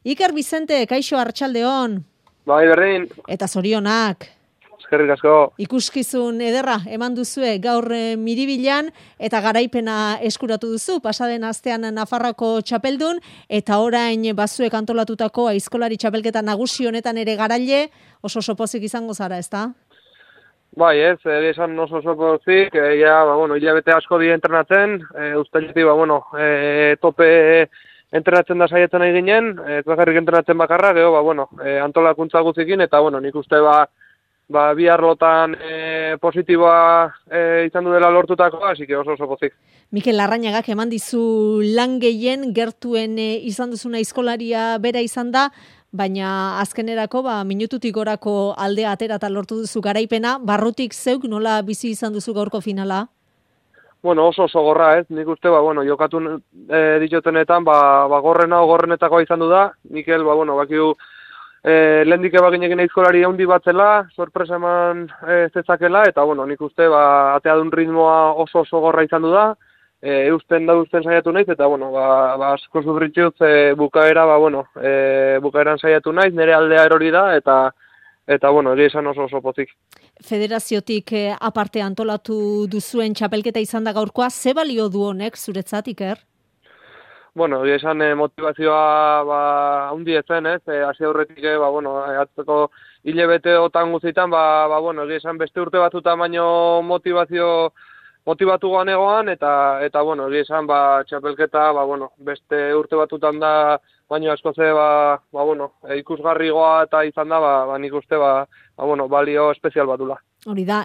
Iker Vicente, kaixo arratsaldeon. Bai, berdin. Eta zorionak. Eskerrik asko. Ikuskizun ederra eman duzue gaur Miribilan eta garaipena eskuratu duzu. Pasaden astean Nafarroako txapeldun eta orain bazuek antolatutako aizkolari txapelketa nagusi honetan ere garaile oso pozik izango zara, ezta? Bai, esan oso pozik, hilabete asko di entrenatzen, uztailetik, tope entrenatzen da saietzen nahi ginen, ez bakarrik entrenatzen bakarra, gero, antolakuntza guzikin, eta, nik uste, bi arlotan positiboa izan du dela lortutakoa, así que oso pozik. Mikel Larrañagak eman dizu lan gehien gertuen izan duzuna aizkolaria bera izan da, baina azkenerako minututik gorako aldea atera eta lortu duzu garaipena, barrutik zeuk nola bizi izan duzu gaurko finala? Oso gogorra, ez? Nik uste, jokatu ditutenetan, gorrenetakoa izan du da. Mikel, bakiu, lehendik ebaginekin aizkolari handi bat zela, sorpresa eman zezakela, eta, nik uste, atea duen ritmoa oso gogorra izan du da. Eusten saiatu naiz, eta, asko sufritxuz bukaera, bukaeran saiatu naiz, nire aldea erori da, eta egia esan oso pozik. Federaziotik aparte antolatu duzuen txapelketa izan da gaurkoa, ze balio du honek zuretzat, Iker? Egia esan motivazioa handi ezen, ez? Hasi aurretik, atzeko hilabeteotan guztietan, egia esan beste urte batzutan baino motivatu egoan, eta egia esan, txapelketa, beste urte batzutan da, baina asko ze, ikusgarrigoa eta izan da, nik uste, balio espezial batula. Hori da,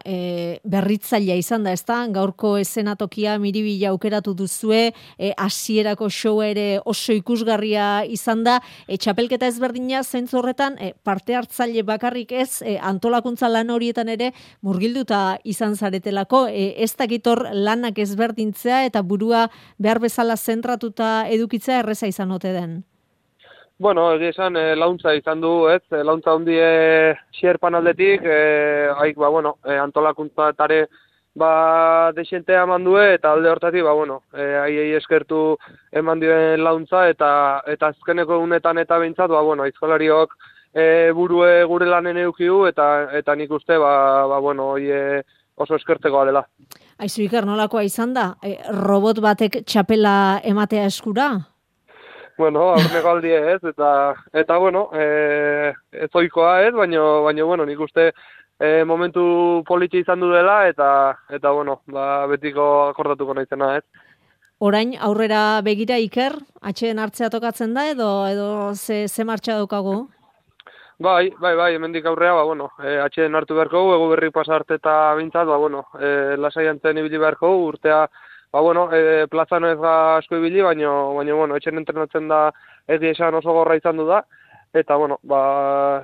berritzailea izan da, ezta? Gaurko eszenatokia Miribilla aukeratu duzue, hasierako show ere oso ikusgarria izan da, txapelketa ezberdina zentzu horretan, parte hartzaile bakarrik ez, antolakuntza lan horietan ere murgilduta izan zaretelako, ez dakitor lanak ezberdintzea eta burua behar bezala zentratuta edukitzea erreza izan ote den? Egia esan, launtza izan du, ez? Launtza hundie xerpan aldetik, antolakuntza desentea eman due, eta alde hortatik, aiei eskertu eman duen launtza, eta azkeneko unetan eta behintzat, aizkolariok burue gure lanen eukiu, eta nik uste, oso eskertzekoa dela. Aizu, Iker, nolakoa izan da? Robot batek txapela ematea eskura? Aurreko aldie ez, eta ez oikoa ez, baina nik uste momentu politxe izan du dela, eta betiko akordatuko naizena ez. Orain aurrera begira, Iker, atxeen hartzea tokatzen da, edo ze martxa daukagu? Bai, hemendik aurrea, atxeen hartu beharko, egu berri pasarte eta bintzat, lasai antzen ibili beharko, urtea, plazan ez ga asko ibili, baina, etxen entrenatzen da egia esan oso gorra izan du da, eta,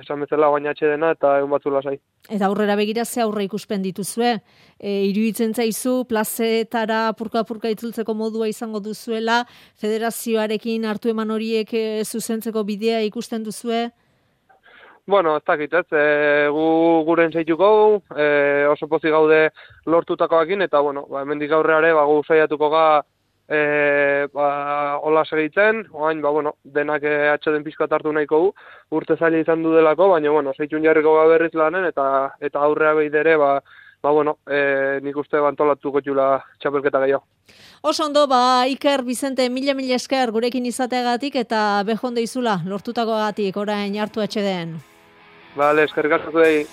esan bezala baina atxe dena eta egun batzu lasai. Eta aurrera begira ze aurre ikuspen dituzue? Iruditzen zaizu, plazetara purka-purka itzultzeko modua izango duzuela, federazioarekin hartu eman horiek zuzentzeko bidea ikusten duzue? Ez dakit, ez, gu guren zeituko, oso pozik gaude lortutakoakin, eta, hemendik aurreare, gu saiatuko ga, hola segitzen, oain, denak atxeden pixkat hartu nahiko gu, urte zaila izan du delako, baina, zeitun jarriko berriz lanen, eta aurrea behidere, nik uste antolatuko txula txapelketa gehiago. Oso ondo, Iker Vicente, mila esker gurekin izateagatik, eta behonde izula, lortutakoagatik, orain hartu atxeden. Bale, eskerrik asko zuei.